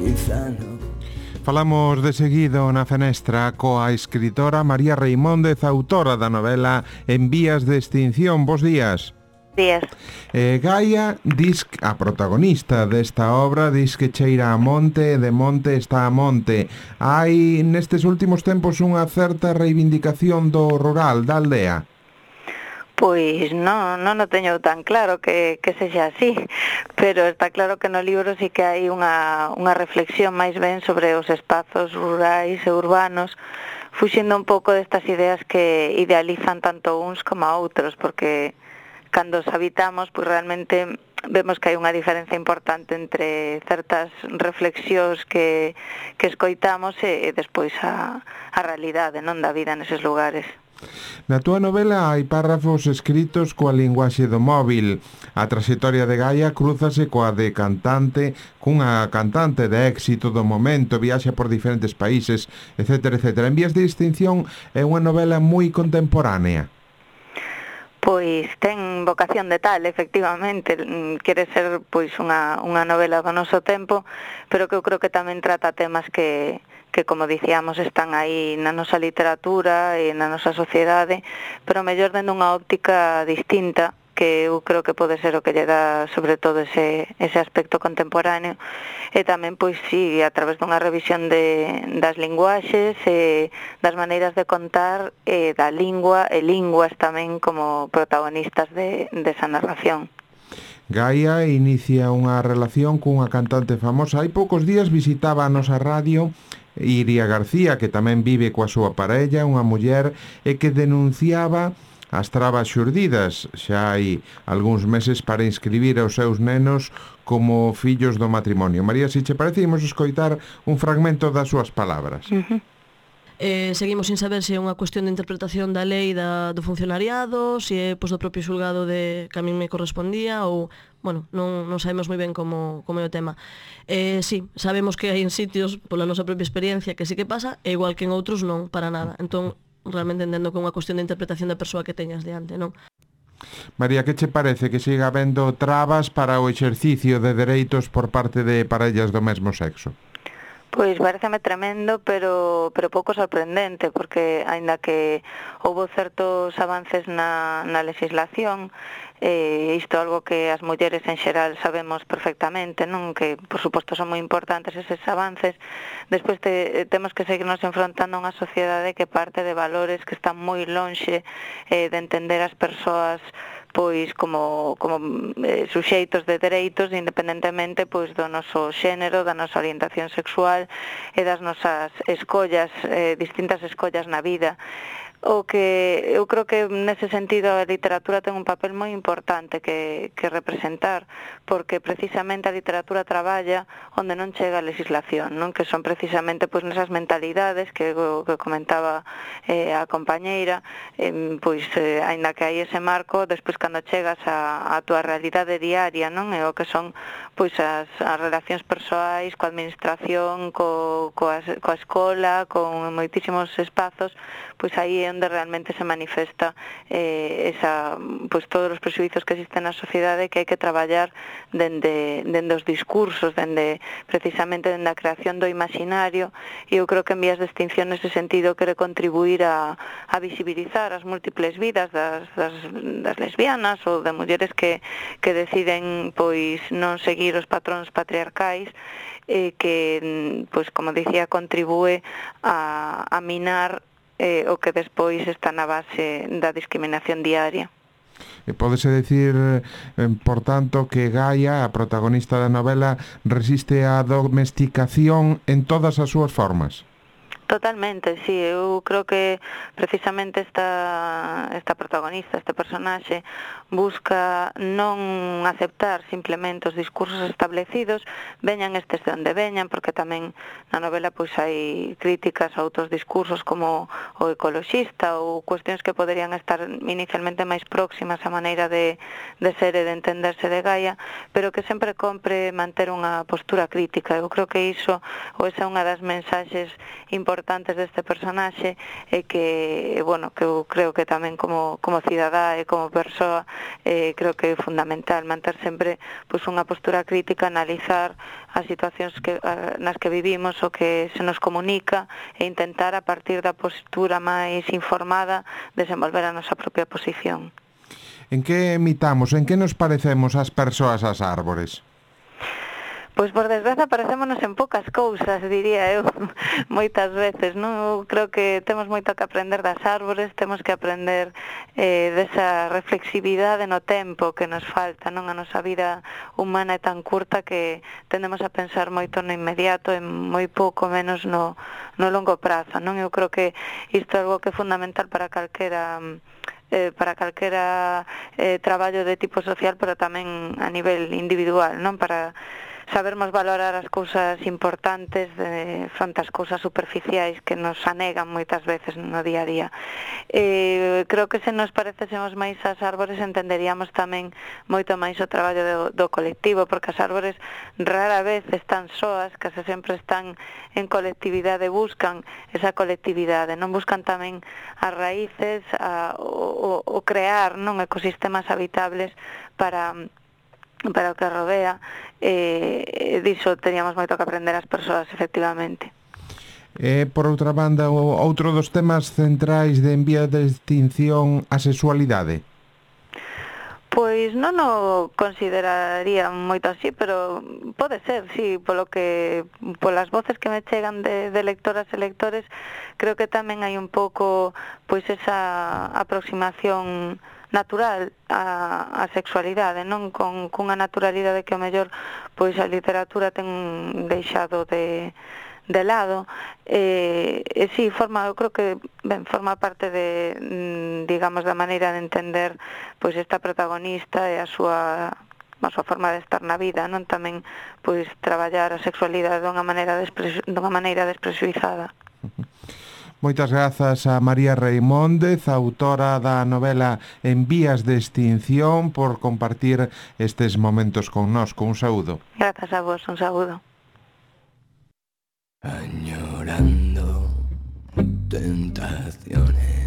quizá no. Falamos de seguido na fenestra coa escritora María Reimóndez, autora da novela En vías de extinción. Bos días. Días. Gaia, a protagonista desta obra, diz que cheira a monte e de monte está a monte. Hai nestes últimos tempos unha certa reivindicación do rural, da aldea. Pois non o teño tan claro que sexa así, pero está claro que no libro sí que hai unha reflexión máis ben sobre os espazos rurais e urbanos, fuxindo un pouco destas ideas que idealizan tanto uns como a outros, porque cando os habitamos, pois realmente vemos que hai unha diferencia importante entre certas reflexións que escoitamos e despois a realidade, non, da vida neses lugares. Na túa novela hai párrafos escritos coa linguaxe do móvil. A traxectoria de Gaia crúzase coa de cantante, cunha cantante de éxito do momento, viaxa por diferentes países, etc, etc. En vías de extinción é unha novela moi contemporánea. Pois ten vocación de tal, efectivamente, quere ser pois unha novela do noso tempo, pero que eu creo que tamén trata temas que como dicíamos están aí na nosa literatura e na nosa sociedade, pero mellor dende unha óptica distinta, que eu creo que pode ser o que lle dá sobre todo ese aspecto contemporáneo, e tamén, pois sí, a través dunha revisión das linguaxes e das maneiras de contar e da lingua e linguas tamén como protagonistas desa narración. Gaia inicia unha relación cunha cantante famosa. Hai poucos días visitaba a nosa radio Iria García, que tamén vive coa súa parella, unha muller, e que denunciaba as trabas xurdidas xa hai algúns meses para inscribir aos seus nenos como fillos do matrimonio. María, se che parece, imos escoitar un fragmento das súas palabras. Seguimos sin saber se é unha cuestión de interpretación da lei do funcionariado, se é do propio xulgado que a min me correspondía ou, bueno, non sabemos moi ben como é o tema. Sí, sabemos que hai en sitios, pola nosa propia experiencia, que sí que pasa, e igual que en outros non, para nada. Entón, realmente entendo que é unha cuestión de interpretación da persoa que teñas diante, non? María, que che parece que siga habendo trabas para o exercicio de dereitos por parte de parellas do mesmo sexo? Pois pareceme tremendo, pero pouco sorprendente, porque aínda que houbo certos avances na legislación, isto é algo que as mulleres en xeral sabemos perfectamente, non, que por suposto son moi importantes eses avances. Despois temos que seguirnos enfrontando a unha sociedade que parte de valores que están moi lonxe de entender as persoas pois como suxeitos de dereitos, independentemente pois do noso xénero, da nosa orientación sexual e das nosas escollas, distintas escollas na vida. O que eu creo que nese sentido a literatura ten un papel moi importante que representar, porque precisamente a literatura traballa onde non chega a legislación, non, que son precisamente pois nesas mentalidades que comentaba a compañeira, pois aínda que hai ese marco, despois cando chegas a túa realidade diaria, non, e o que son pois as relacións persoais coa administración, coa escola, con moitísimos espazos, pois aí é onde realmente se manifesta pois todos os presuizos que existen na sociedade, que hai que traballar dende os discursos, precisamente dende a creación do imaginario, e eu creo que en vías de extinción nese sentido quere contribuir a visibilizar as múltiples vidas das lesbianas ou de mulleres que deciden pois non seguir os patróns patriarcais, que, pois como dicía, contribúe a minar o que despois está na base da discriminación diaria. Pódese decir, por tanto, que Gaia, a protagonista da novela, resiste á domesticación en todas as súas formas? Totalmente, sí, eu creo que precisamente esta protagonista, este personaxe, busca non aceptar simplemente os discursos establecidos, veñan estes de onde veñan, porque tamén na novela pois hai críticas a outros discursos como o ecoloxista ou cuestións que poderían estar inicialmente máis próximas á maneira de ser e de entenderse de Gaia, pero que sempre compre manter unha postura crítica. Eu creo que iso, ou esa é unha das mensaxes importantes deste personaxe, e que, bueno, que eu creo que tamén como cidadá e como persoa creo que é fundamental manter sempre pois, unha postura crítica, analizar as situacións nas que vivimos, o que se nos comunica e intentar a partir da postura máis informada desenvolver a nosa propia posición. En que imitamos, en que nos parecemos as persoas ás árbores? Pois por desgraza parecémonos en poucas cousas, diría eu, moitas veces, non? Eu creo que temos moito que aprender das árbores, temos que aprender desa reflexividade no tempo que nos falta, non? A nosa vida humana é tan curta que tendemos a pensar moito no inmediato e moi pouco menos no longo prazo, non? Eu creo que isto é algo que é fundamental para calquera traballo de tipo social, pero tamén a nivel individual, non? Para sabermos valorar as cousas importantes fronte ás cousas superficiais que nos anegan moitas veces no día a día. Creo que se nos parecésemos máis ás árbores entenderíamos tamén moito máis o traballo do colectivo, porque as árbores rara vez están soas, case sempre están en colectividade, buscan esa colectividade, non buscan tamén as raíces, o crear non ecosistemas habitables para o que rodea, diso teníamos moito que aprender as persoas, efectivamente. Por outra banda, outro dos temas centrais de En Vías de Extinción, a sexualidade? Pois non o consideraría moito así, pero pode ser, sí, polas voces que me chegan de lectoras e lectores, creo que tamén hai un pouco pois esa aproximación natural a sexualidade, non cunha naturalidade que ao mellor pois a literatura ten deixado de lado, si, eu creo que forma parte de, digamos, da maneira de entender pois esta protagonista e a súa forma de estar na vida, non? Tamén pois traballar a sexualidade dunha maneira despresuizada. Moitas grazas a María Reimóndez, autora da novela En Vías de Extinción, por compartir estes momentos connosco. Un saúdo. Grazas a vos, un saúdo. Añorando tentaciones.